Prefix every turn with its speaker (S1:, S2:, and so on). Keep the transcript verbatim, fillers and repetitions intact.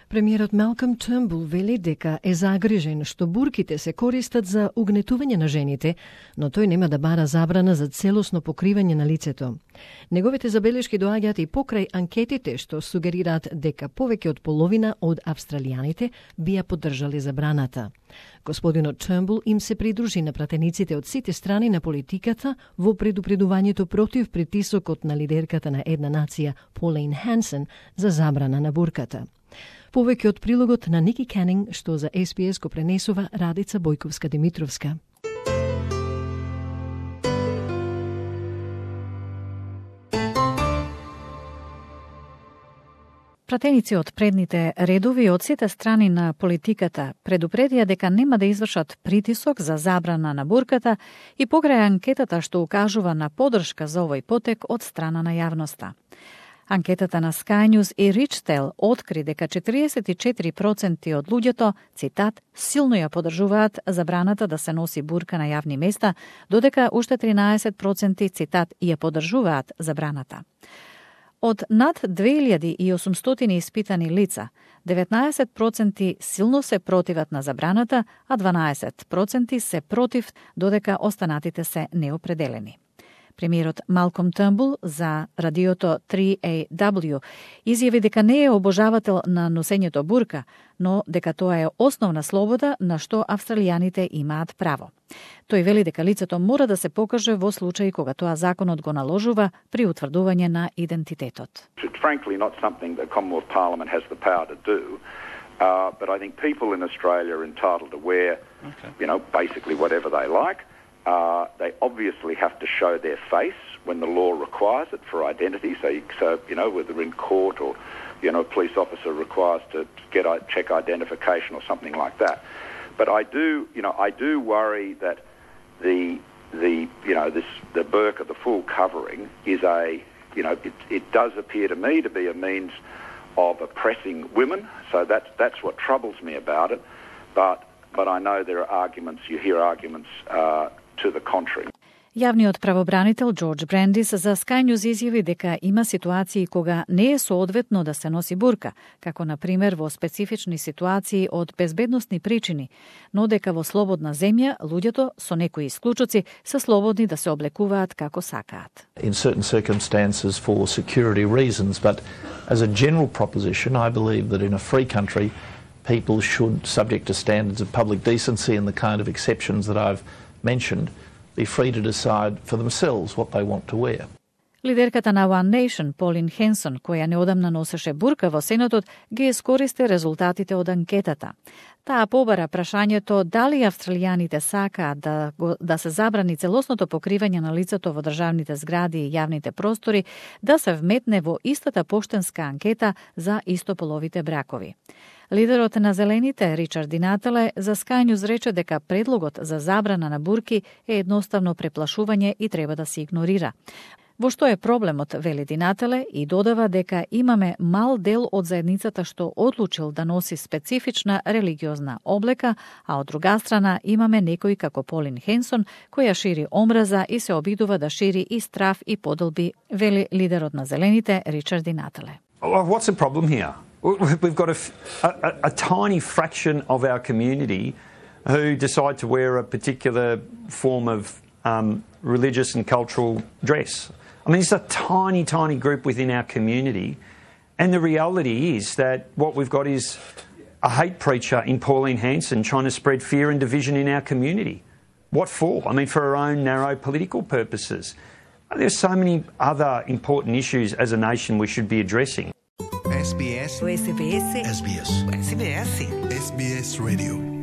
S1: Премиерот Малком Тернбул вели дека е загрижен што бурките се користат за угнетување на жените, но тој нема да бара забрана за целосно покривање на лицето. Неговите забелешки доаѓаат и покрај анкетите што сугерираат дека повеќе од половина од австралијаните би ја поддржале забраната. Господинот Тернбул им се придружи на пратениците од сите страни на политиката во предупредувањето против притисокот на лидерката на една нација Pauline Hanson за забрана на бурката. Повеќе од прилогот на Ники Канинг, што за Ес Би Ес го пренесува Радица Бојковска-Димитровска.
S2: Пратеници од предните редови од сите страни на политиката предупредија дека нема да извршат притисок за забрана на бурката и покрај анкетата што укажува на поддршка за овој потек од страна на јавноста. Анкетата на Sky News и Richtel откри дека четириесет и четири проценти од луѓето, цитат, силно ја поддржуваат забраната да се носи бурка на јавни места, додека уште тринаесет проценти, цитат, ја поддржуваат забраната. Од над две илјади и осумстотини испитани лица, деветнаесет проценти силно се противат на забраната, а дванаесет проценти се против, додека останатите се неопределени. Премиерот Малком Тернбул за радиото три Ей Дабл Ю изјави дека не е обожавател на носењето бурка, но дека тоа е основна слобода на што австралијаните имаат право. Тој вели дека лицето мора да се покаже во случаи кога тоа законот го наложува при утврдување на идентитетот.
S3: It's frankly not something the Commonwealth Parliament has the power to do, uh, but I think people in Australia are entitled to wear, okay. you know, basically whatever they like. Uh, they obviously have to show their face when the law requires it for identity. So, you, so you know, whether in court or, you know, a police officer requires to get check identification or something like that. But I do, you know, I do worry that the the you know this the burqa, the full covering, is a you know it, it does appear to me to be a means of oppressing women. So that's that's what troubles me about it. But but I know there are arguments. You hear arguments uh, to the contrary.
S2: Јавниот правобранител Џорџ Брендис за Sky News изјави дека има ситуации кога не е соодветно да се носи бурка, како на пример во специфични ситуации од безбедносни причини, но дека во слободна земја луѓето со некои исклучоци се слободни да се облекуваат како сакаат.
S4: In certain circumstances for security reasons, but as a general proposition, I believe that in a free country, people should, subject to standards of public decency and the kind of exceptions that I've mentioned, be free to decide for themselves what they want to wear.
S2: Лидерката на One Nation, Pauline Hanson, која неодамна носеше бурка во Сенатот, ги искористи резултатите од анкетата. Таа побара прашањето дали австралијаните сакаат да, да се забрани целосното покривање на лицето во државните згради и јавните простори, да се вметне во истата поштенска анкета за истополовите бракови. Лидерот на Зелените, Ричард Ди Натале, за Sky News рече дека предлогот за забрана на бурки е едноставно преплашување и треба да се игнорира. Во што е проблемот, вели Ди Натале, и додава дека имаме мал дел од заедницата што одлучил да носи специфична религиозна облека, а од друга страна имаме некои како Полин Хенсон, која шири омраза и се обидува да шири и страф и подолби, вели лидерот на Зелените, Ричард Ди Натале.
S5: What's the problem here? We've got a, a, a tiny fraction of our community who decide to wear a particular form of um, religious and cultural dress. I mean, it's a tiny, tiny group within our community. And the reality is that what we've got is a hate preacher in Pauline Hanson trying to spread fear and division in our community. What for? I mean, for her own narrow political purposes. There's so many other important issues as a nation we should be addressing.
S6: Ес Би Ес.
S7: Ес Би Ес.
S6: Ес Би Ес.
S7: Ес Би Ес.
S6: Ес Би Ес Radio.